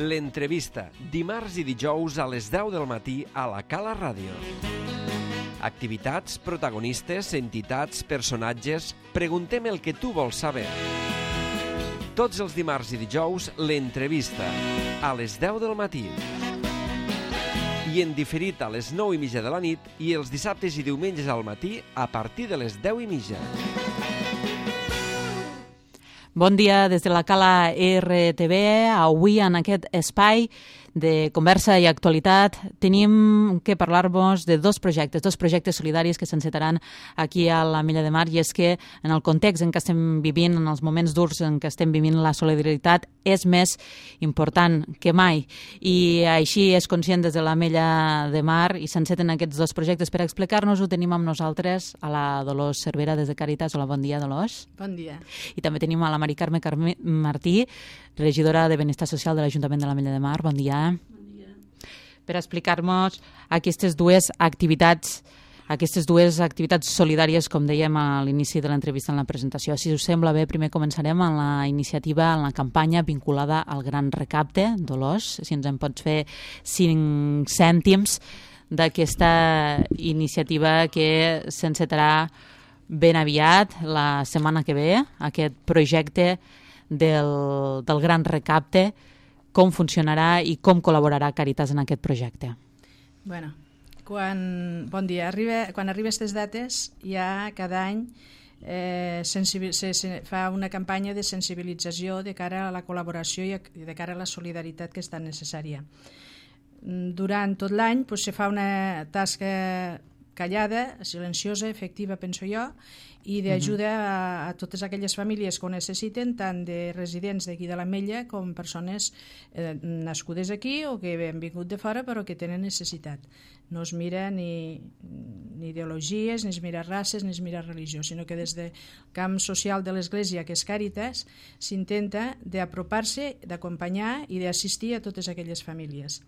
L'entrevista, dimarts i dijous a les 10 del matí a la Cala Ràdio. Activitats, protagonistes, entitats, personatges... Preguntem el que tu vols saber. Tots els dimarts i dijous, l'entrevista, a les 10 del matí. I en diferit a les 9:30 de la nit i els dissabtes i diumenges al matí a partir de les 10:30. Bon dia des de la Cala RTV. Avui en aquest espai de conversa i actualitat tenim que parlar-vos de dos projectes solidaris que s'encetaran aquí a l'Ametlla de Mar, i és que en el context en què estem vivint, en els moments durs en què estem vivint, la solidaritat és més important que mai, i així és conscient des de l'Ametlla de Mar i s'enceten aquests dos projectes. Per explicar-nos-ho tenim amb nosaltres a la Dolors Cervera des de Càritas. Hola, bon dia, Dolors. Bon dia. I també tenim a la Mari Carme Martí, regidora de Benestar Social de l'Ajuntament de l'Ametlla de Mar. Bon dia. Bon dia. Per explicar-nos aquestes dues activitats solidàries, com dèiem a l'inici de l'entrevista en la presentació. Si us sembla bé, primer començarem amb la iniciativa, en la campanya vinculada al Gran Recapte. Dolors, si ens en pots fer 5 cèntims d'aquesta iniciativa que s'encetarà ben aviat, la setmana que ve, aquest projecte del Gran Recapte, com funcionarà i com col·laborarà Càritas en aquest projecte. Bueno, bon dia. Quan arriba aquestes dates, ja cada any se fa una campanya de sensibilització de cara a la col·laboració i de cara a la solidaritat que és tan necessària. Durant tot l'any se fa una tasca callada, silenciosa, efectiva, penso jo, i d'ajuda a totes aquelles famílies que ho necessiten, tant de residents d'aquí de l'Ametlla com persones nascudes aquí o que han vingut de fora però que tenen necessitat. No es mira ni ideologies, ni es mira races, ni es mira religió, sinó que des del camp social de l'Església, que és Càritas, s'intenta d'apropar-se, d'acompanyar i d'assistir a totes aquelles famílies.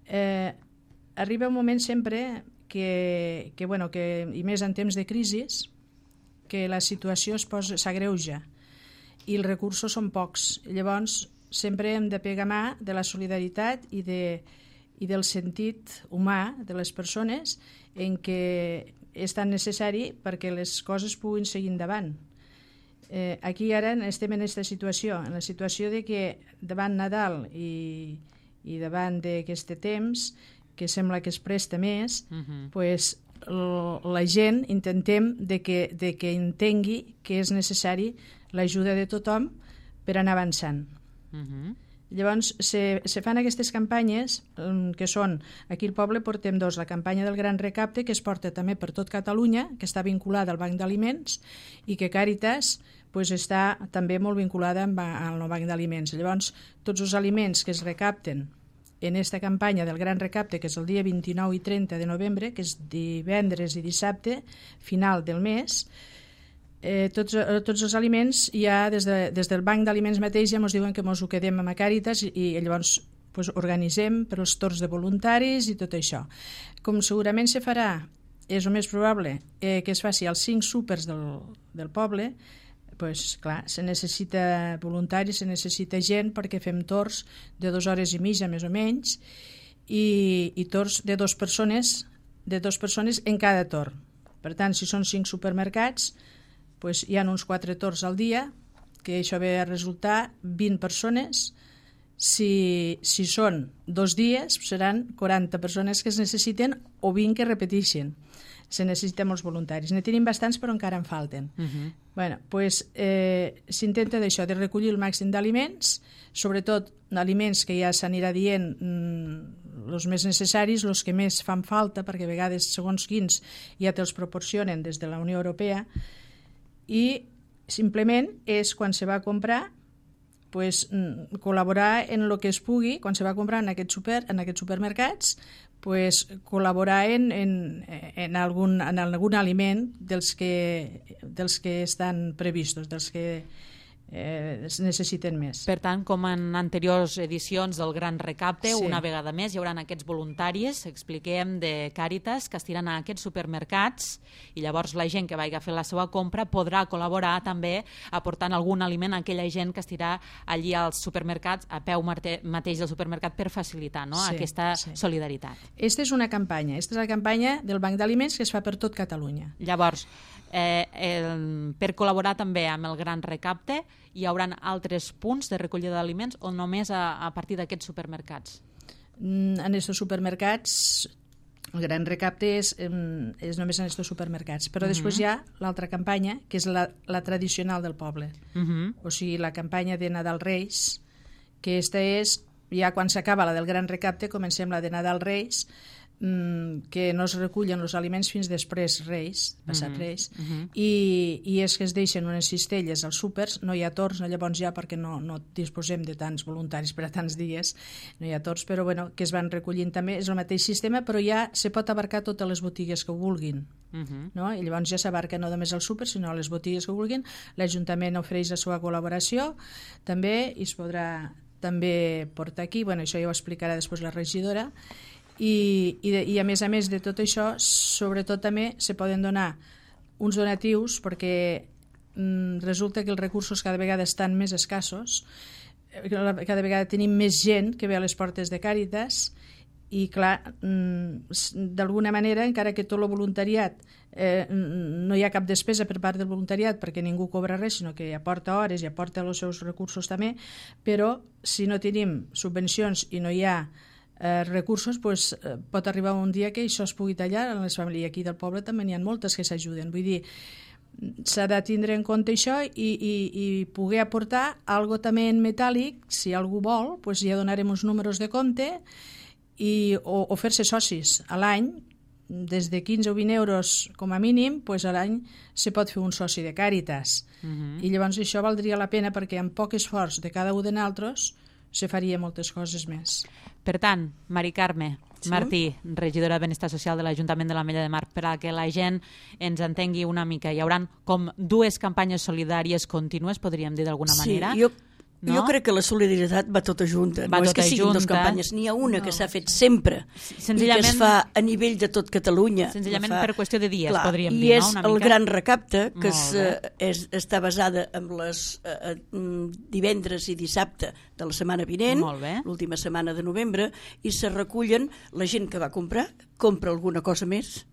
Arriba un moment sempre que i més en temps de crisi, que la situació s'agreuja i els recursos són pocs. Llavors, sempre hem de pegar mà de la solidaritat i del sentit humà de les persones, en què és tan necessari perquè les coses puguin seguir endavant. Aquí ara estem en aquesta situació, en la situació de que davant Nadal i davant d'aquest temps, que sembla que es presta més, la gent intentem de que entengui que és necessari l'ajuda de tothom per anar avançant. Llavors, se fan aquestes campanyes que són, aquí al poble portem dos, la campanya del Gran Recapte, que es porta també per tot Catalunya, que està vinculada al Banc d'Aliments, i que Càritas està també molt vinculada al Banc d'Aliments. Llavors, tots els aliments que es recapten en aquesta campanya del Gran Recapte, que és el dia 29 i 30 de novembre, que és divendres i dissabte, final del mes, tots els aliments ja des del Banc d'Aliments mateix ja ens diuen que ens ho quedem amb Càritas i llavors organitzem per als torns de voluntaris i tot això. Com segurament se farà, és el més probable que es faci als 5 súpers del poble, clar, se necessita voluntaris, se necessita gent perquè fem torns de 2 hores i mitja més o menys i torns de 2 persones en cada torn. Per tant, si són 5 supermercats, hi ha uns 4 torns al dia, que això ve a resultar 20 persones. Si són 2 dies, seran 40 persones que es necessiten o 20 que repeteixen. Se necessiten molts voluntaris. Ne tenim bastants, però encara en falten. S'intenta d'això, de recollir el màxim d'aliments, sobretot aliments que ja s'anirà dient els més necessaris, els que més fan falta, perquè a vegades, segons quins, ja te'ls proporcionen des de la Unió Europea, i simplement és quan se va a comprar col·laborar en el que es pugui, quan se va a comprar en aquests supermercats, col·laborar en algun aliment dels que estan previstos, dels que es necessiten més. Per tant, com en anteriors edicions del Gran Recapte, Sí. una vegada més hi haurà aquests voluntaris, expliquem, de Càritas, que estiran a aquests supermercats, i llavors la gent que vagi a fer la seva compra podrà col·laborar també aportant algun aliment a aquella gent que estirà allí als supermercats, a peu mateix del supermercat, per facilitar, no? Sí, aquesta sí. solidaritat. Esta és una campanya, esta és la campanya del Banc d'Aliments que es fa per tot Catalunya. Llavors, per col·laborar també amb el Gran Recapte, hi haurà altres punts de recollida d'aliments o només a partir d'aquests supermercats? En aquests supermercats, el Gran Recapte és només en aquests supermercats, però després hi ha l'altra campanya, que és la tradicional del poble. O sigui, la campanya de Nadal Reis, que aquesta és, ja quan s'acaba la del Gran Recapte, comencem la de Nadal Reis, que no es recullen els aliments fins després Reis, passat Reis, i és que es deixen unes cistelles als súpers, no hi ha torns, llavors ja perquè no disposem de tants voluntaris per a tants dies, no hi ha torns, però bueno, que es van recollint també, és el mateix sistema, però ja se pot abarcar totes les botigues que ho vulguin, no? I llavors ja s'abarca no només al súper, sinó a les botigues que ho vulguin. L'Ajuntament ofereix la seva col·laboració també, i es podrà també portar aquí, bueno, això ja ho explicarà després la regidora. I a més de tot això, sobretot també se poden donar uns donatius, perquè resulta que els recursos cada vegada estan més escassos, cada vegada tenim més gent que ve a les portes de Càritas, i clar, d'alguna manera, encara que tot el voluntariat no hi ha cap despesa per part del voluntariat perquè ningú cobra res, sinó que aporta hores i aporta els seus recursos també, però si no tenim subvencions i no hi ha recursos, pues, pot arribar un dia que això es pugui tallar en les famílies. Aquí del poble també n'hi ha moltes que s'ajuden, vull dir, s'ha de tindre en compte això i poder aportar algo també en metàl·lic, si algú vol, pues ja donarem uns números de compte o fer-se socis a l'any, des de 15 o 20 euros com a mínim, pues a l'any se pot fer un soci de Càritas, i llavors això valdria la pena, perquè amb poc esforç de cada un de nosaltres se faria moltes coses més. Per tant, Mari Carme Martí, regidora de Benestar Social de l'Ajuntament de l'Ametlla de Mar, per a que la gent ens entengui una mica, hi haurà com dues campanyes solidàries contínues, podríem dir d'alguna manera? Sí, jo crec que la solidaritat va tota junta. Va no és tota que siguin junta. dues campanyes, n'hi ha una que s'ha fet sempre i que es fa a nivell de tot Catalunya. Senzillament per qüestió de dies, podríem dir, no? I és Una el mica. Gran Recapte, que està basada en les divendres i dissabte de la setmana vinent, l'última setmana de novembre, i se recullen la gent que va comprar, compra alguna cosa més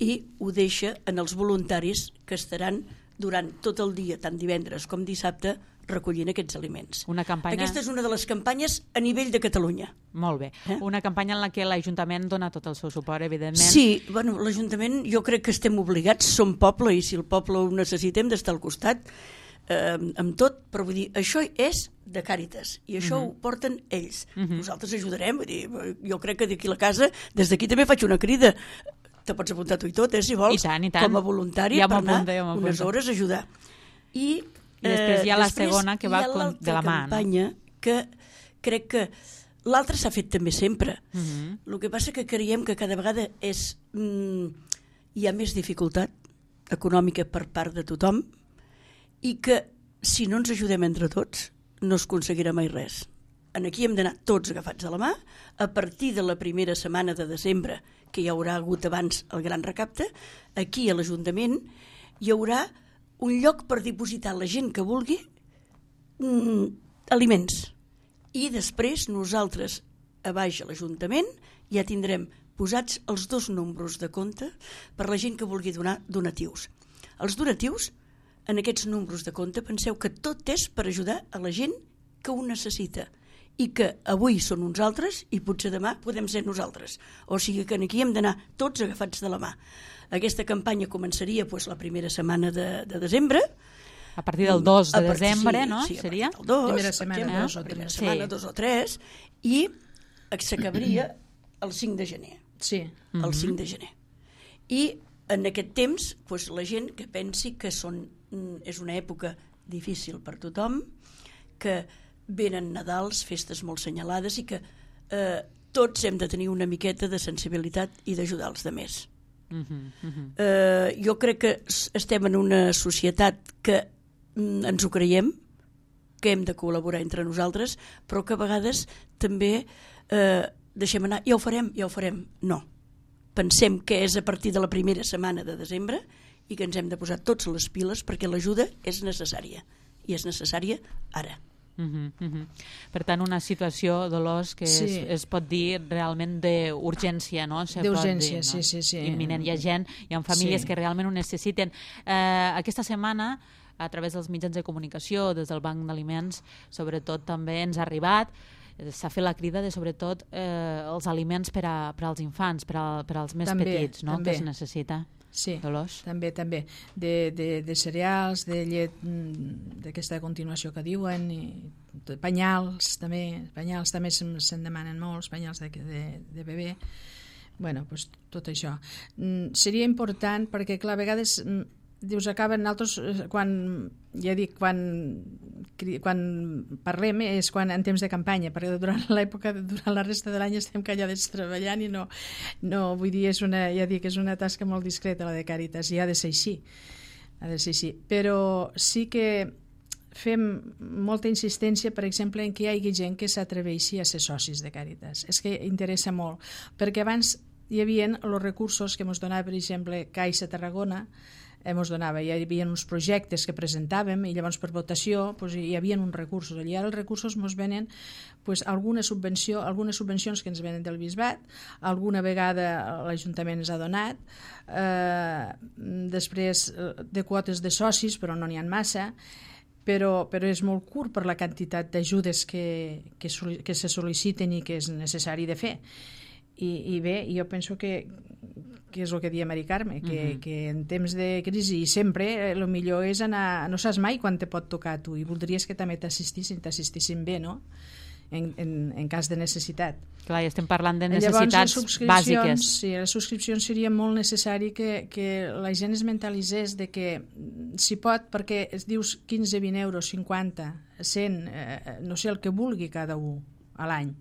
i ho deixa en els voluntaris que estaran durant tot el dia, tant divendres com dissabte, recollint aquests aliments. Aquesta és una de les campanyes a nivell de Catalunya. Molt bé. Una campanya en la que l'Ajuntament dona tot el seu suport, evidentment. Sí, bueno, l'Ajuntament jo crec que estem obligats, som poble, i si el poble ho necessitem d'estar al costat amb tot, però vull dir, això és de Càritas i això ho porten ells. Nosaltres ajudarem, vull dir, jo crec que d'aquí a la casa, des d'aquí també faig una crida. Te pots apuntar tu i tot, si vols, com a voluntari, per anar unes hores a ajudar. I després hi ha la segona, que va de la mà. Hi ha l'altra campanya, que crec que l'altra s'ha fet també sempre. El que passa que creiem que cada vegada hi ha més dificultat econòmica per part de tothom i que si no ens ajudem entre tots no es aconseguirà mai res. Aquí hem d'anar tots agafats de la mà. A partir de la primera setmana de desembre, que hi haurà hagut abans el Gran Recapte, aquí a l'Ajuntament hi haurà un lloc per dipositar la gent que vulgui aliments. I després nosaltres, a baix a l'Ajuntament, ja tindrem posats els 2 números de compte per la gent que vulgui donar donatius. Els donatius, en aquests números de compte, penseu que tot és per ajudar a la gent que ho necessita i que avui són uns altres i potser demà podem ser nosaltres. O sigui que aquí hem d'anar tots agafats de la mà. Aquesta campanya començaria la primera setmana de desembre. A partir del 2 de desembre, no? Sí, seria? A partir del 2, primera setmana, primera setmana, 2 o 3, i s'acabaria el 5 de gener. Sí. El 5 de gener. I en aquest temps, la gent que pensi que és una època difícil per tothom, que venen Nadals, festes molt senyalades i que tots hem de tenir una miqueta de sensibilitat i d'ajudar els altres. Jo crec que estem en una societat que ens ho creiem, que hem de col·laborar entre nosaltres, però que a vegades també deixem anar, ja ho farem. No. Pensem que és a partir de la primera setmana de desembre i que ens hem de posar tots les piles perquè l'ajuda és necessària. I és necessària ara. Per tant, una situació, Dolors, que es pot dir realment d'urgència, no? D'urgència, sí. Imminent. Hi ha gent, hi ha famílies que realment ho necessiten. Aquesta setmana, a través dels mitjans de comunicació, des del Banc d'Aliments, sobretot també ens ha arribat, s'ha fet la crida de sobretot els aliments per als infants, per als més petits, no? Que es necessita. Sí, Dolors? també. De cereals, de llet, d'aquesta continuació que diuen, i penyals també se'n demanen molts, penyals de bebè. Bueno, doncs tot això. Seria important perquè, clar, a vegades dius, acaben altres, quan parlem és quan en temps de campanya, perquè durant la resta de l'any estem callades treballant i no vull dir, és una tasca molt discreta la de Càritas i ha de ser així. Però sí que fem molta insistència, per exemple, en que hi hagi gent que s'atreveixi a ser socis de Càritas. És que interessa molt, perquè abans hi havia els recursos que ens donava, per exemple, Caixa Tarragona, hi havia uns projectes que presentàvem i llavors per votació hi havia uns recursos. I ara els recursos ens venen algunes subvencions que ens venen del Bisbat, alguna vegada l'Ajuntament ens ha donat, després de quotes de socis, però no n'hi ha massa, però és molt curt per la quantitat d'ajudes que se sol·liciten i que és necessari de fer. I bé, jo penso que és el que deia Mari Carme, que en temps de crisi i sempre el millor és anar, no saps mai quan te pot tocar a tu i voldries que també t'assistissin bé, no? En cas de necessitat. Clar, i estem parlant de necessitats bàsiques. Sí, les subscripcions seria molt necessari que la gent es mentalitzés de que si pot, perquè es dius 15, 20 euros, 50, 100, no sé, el que vulgui cada un a l'any.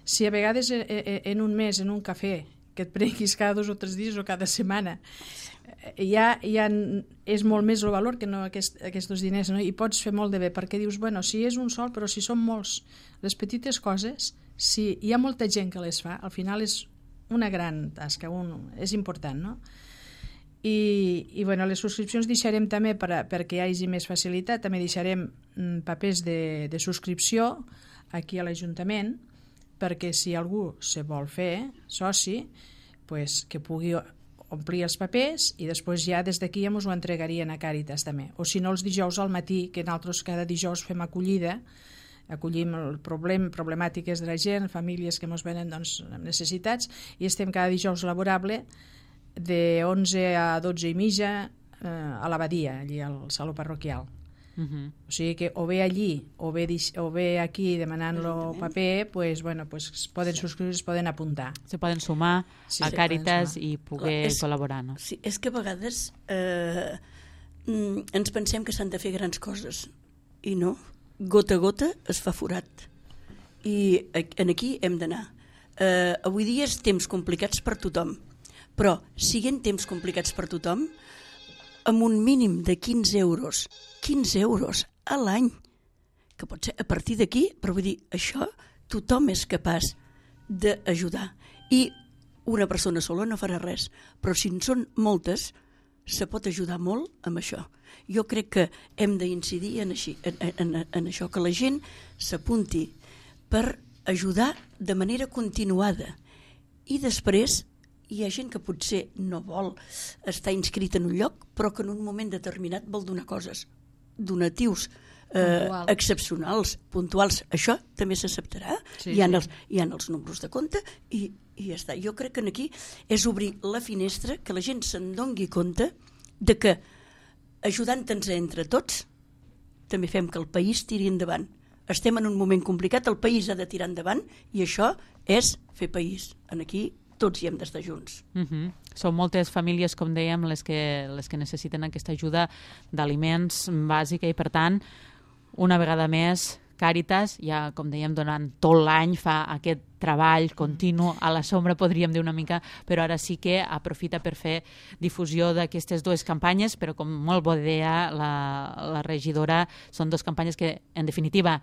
Si a vegades en un mes, en un cafè, que et prenguis cada 2 o 3 dies o cada setmana, ja és molt més el valor que no aquests diners, no? I pots fer molt de bé, perquè dius, bueno, si és un sol, però si són molts, les petites coses, si hi ha molta gent que les fa, al final és una gran tasca, és important, no? I bueno, les subscripcions deixarem també perquè hi hagi més facilitat, també deixarem papers de subscripció aquí a l'Ajuntament, perquè si algú se vol fer soci, que pugui omplir els papers i després ja des d'aquí ja ens ho entregarien a Càritas també. O si no, els dijous al matí, que nosaltres cada dijous fem acollida, acollim problemàtiques de la gent, famílies que ens venen amb necessitats, i estem cada dijous laborable de 11 a 12 i mitja a l'abadia, allí al saló parroquial. O sigui que o bé allí o bé aquí demanant-lo paper, es poden subscriure, es poden apuntar. Se poden sumar a Càritas i poder col·laborar, no? Sí, és que a vegades ens pensem que s'han de fer grans coses i no, gota a gota es fa forat i aquí hem d'anar. Avui dia és temps complicats per tothom, però siguent temps complicats per tothom, amb un mínim de 15 euros a l'any, que pot ser a partir d'aquí, però vull dir, això tothom és capaç d'ajudar. I una persona sola no farà res, però si en són moltes, se pot ajudar molt amb això. Jo crec que hem d'incidir en això, que la gent s'apunti per ajudar de manera continuada. I després hi ha gent que potser no vol estar inscrit en un lloc, però que en un moment determinat vol donar coses, donatius excepcionals, puntuals. Això també s'acceptarà. Hi ha els números de compte i ja està. Jo crec que aquí és obrir la finestra, que la gent se'n doni compte de que ajudant-nos entre tots també fem que el país tiri endavant. Estem en un moment complicat, el país ha de tirar endavant i això és fer país. Aquí tots hi hem d'estar junts. Són moltes famílies, com dèiem, les que necessiten aquesta ajuda d'aliments bàsica i, per tant, una vegada més, Càritas, ja, com dèiem, durant tot l'any fa aquest treball continu, a la sombra podríem dir una mica, però ara sí que aprofita per fer difusió d'aquestes dues campanyes, però com molt bé deia la regidora, són dues campanyes que, en definitiva,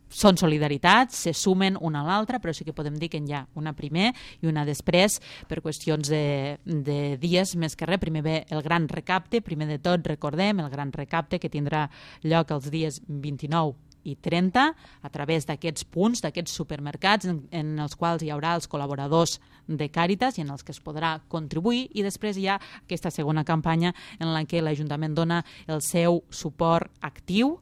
són solidaritats, se sumen una a l'altra, però sí que podem dir que hi ha una primer i una després, per qüestions de dies més que res. Primer ve el gran recapte, primer de tot recordem el gran recapte que tindrà lloc els dies 29 i 30 a través d'aquests punts, d'aquests supermercats en els quals hi haurà els col·laboradors de Càritas i en els que es podrà contribuir, i després hi ha aquesta segona campanya en la que l'Ajuntament dona el seu suport actiu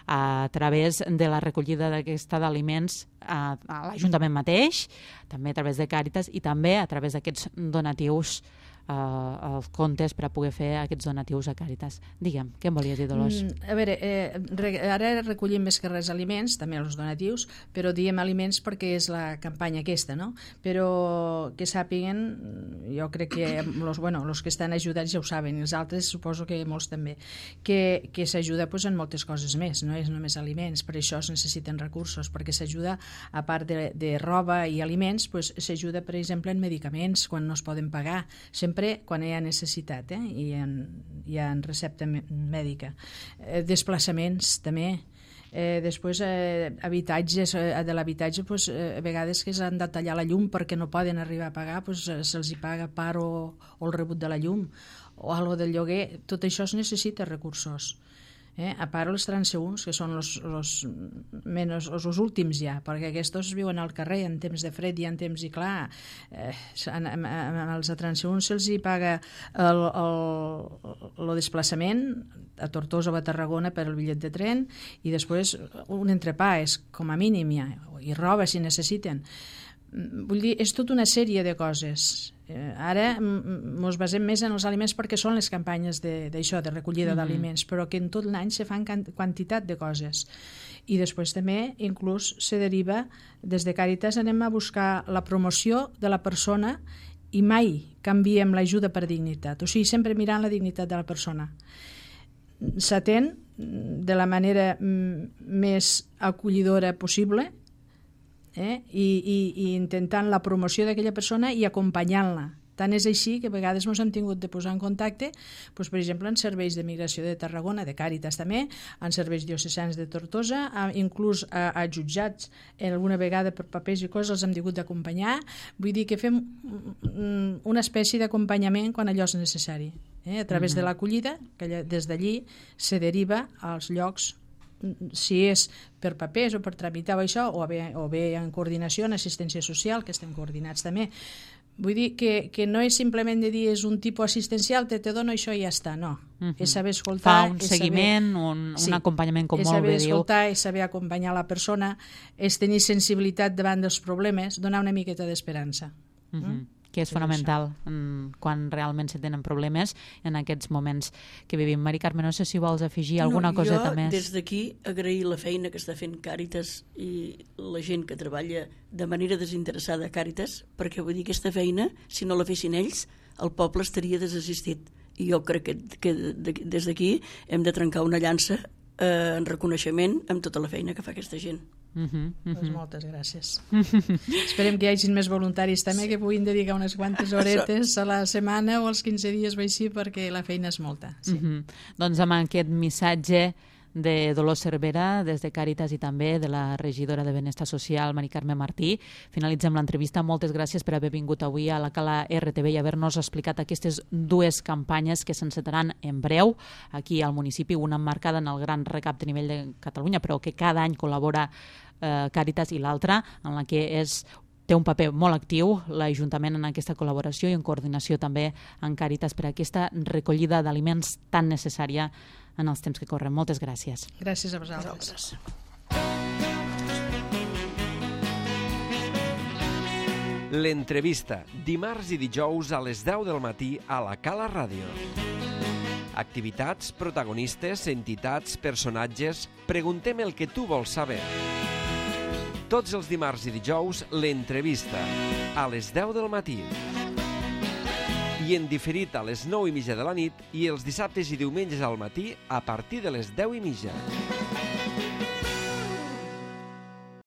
a través de la recollida d'aquesta d'aliments a l'Ajuntament mateix, també a través de Càritas i també a través d'aquests donatius els comptes per a poder fer aquests donatius a Càritas. Digue'm, què em volies dir, Dolors? A veure, ara recollim més que res aliments, també els donatius, però diem aliments perquè és la campanya aquesta, no? Però que sàpiguen, jo crec que els que estan ajudats ja ho saben, i els altres suposo que molts també, que s'ajuda en moltes coses més, no és només aliments, per això es necessiten recursos, perquè s'ajuda, a part de roba i aliments, s'ajuda, per exemple, en medicaments, quan no es poden pagar, sempre quan hi ha necessitat i hi ha recepta mèdica. Desplaçaments també. Després habitatges, de l'habitatge a vegades que s'han de tallar la llum perquè no poden arribar a pagar, se'ls hi paga part o el rebut de la llum o algo del lloguer. Tot això es necessita recursos. A part els transeünts, que són els últims ja, perquè aquests viuen al carrer en temps de fred i en temps, i clar, als transeünts se'ls hi paga el desplaçament a Tortosa o a Tarragona per el bitllet de tren, i després un entrepà és com a mínim ja, i roba si necessiten. Vull dir, és tota una sèrie de coses. Ara ens basem més en els aliments perquè són les campanyes d'això, de recollida d'aliments, però que en tot l'any se fan quantitat de coses. I després també inclús se deriva, des de Càritas anem a buscar la promoció de la persona i mai canviem l'ajuda per dignitat, o sigui, sempre mirant la dignitat de la persona. S'atén de la manera més acollidora possible, i intentant la promoció d'aquella persona i acompanyant-la. Tant és així que a vegades ens hem tingut de posar en contacte, per exemple, en serveis de migració de Tarragona, de Càritas també, en serveis diocesans de Tortosa, inclús a jutjats, alguna vegada per papers i coses els hem hagut d'acompanyar. Vull dir que fem una espècie d'acompanyament quan allò és necessari. A través de l'acollida, que des d'allí se deriva als llocs, si és per papers o per tramitar això, o bé en coordinació, en assistència social, que estem coordinats també. Vull dir que no és simplement de dir és un tipus assistencial, te dono això i ja està, no. És saber escoltar... Fa un seguiment, un acompanyament, com molt bé diu. És saber escoltar, és saber acompanyar la persona, és tenir sensibilitat davant dels problemes, donar una miqueta d'esperança. Que és fonamental quan realment se tenen problemes en aquests moments que vivim. Mari Carme, no sé si vols afegir alguna coseta més. Jo des d'aquí agrair la feina que està fent Càritas i la gent que treballa de manera desinteressada a Càritas, perquè vull dir, aquesta feina, si no la fessin ells, el poble estaria desassistit. I jo crec que des d'aquí hem de trencar una llança en reconeixement amb tota la feina que fa aquesta gent. Moltes gràcies. Esperem que hi hagi més voluntaris també que puguin dedicar unes quantes horetes a la setmana o als 15 dies o així, perquè la feina és molta. Doncs amb aquest missatge de Dolors Cervera, des de Càritas, i també de la regidora de Benestar Social, Mari Carme Martí, finalitzem l'entrevista. Moltes gràcies per haver vingut avui a la Cala RTV i haver-nos explicat aquestes dues campanyes que s'encetaran en breu aquí al municipi, una emmarcada en el gran recapte a nivell de Catalunya, però que cada any col·labora Càritas, i l'altra en la que té un paper molt actiu l'Ajuntament en aquesta col·laboració i en coordinació també amb Càritas per aquesta recollida d'aliments tan necessària en els temps que corren. Moltes gràcies. Gràcies a vosaltres. L'entrevista, dimarts i dijous a les 10 del matí a la Cala Ràdio. Activitats, protagonistes, entitats, personatges... Preguntem el que tu vols saber. Tots els dimarts i dijous, l'entrevista, a les 10 del matí. I en diferit a les 9:30 de la nit i els dissabtes i diumenges al matí a partir de les 10:30.